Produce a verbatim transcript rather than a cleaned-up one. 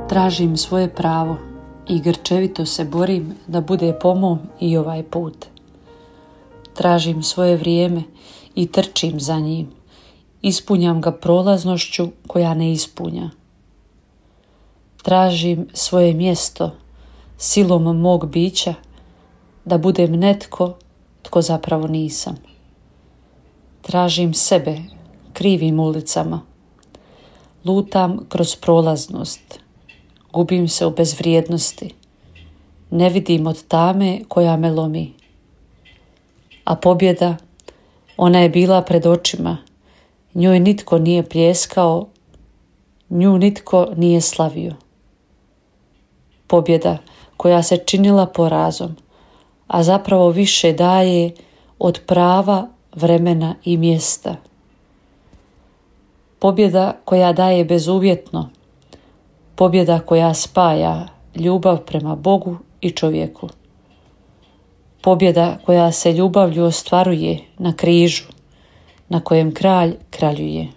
Tražim svoje pravo i grčevito se borim da bude po mom i ovaj put. Tražim svoje vrijeme i trčim za njim. Ispunjam ga prolaznošću koja ne ispunja. Tražim svoje mjesto silom mog bića da budem netko tko zapravo nisam. Tražim sebe krivim ulicama. Lutam kroz prolaznost. Gubim se u bezvrijednosti. Ne vidim od tame koja me lomi. A pobjeda, ona je bila pred očima. Njoj nitko nije pljeskao, nju nitko nije slavio. Pobjeda koja se činila porazom, a zapravo više daje od prava, vremena i mjesta. Pobjeda koja daje bezuvjetno, pobjeda koja spaja ljubav prema Bogu i čovjeku. Pobjeda koja se ljubavlju ostvaruje na križu, na kojem kralj kraljuje.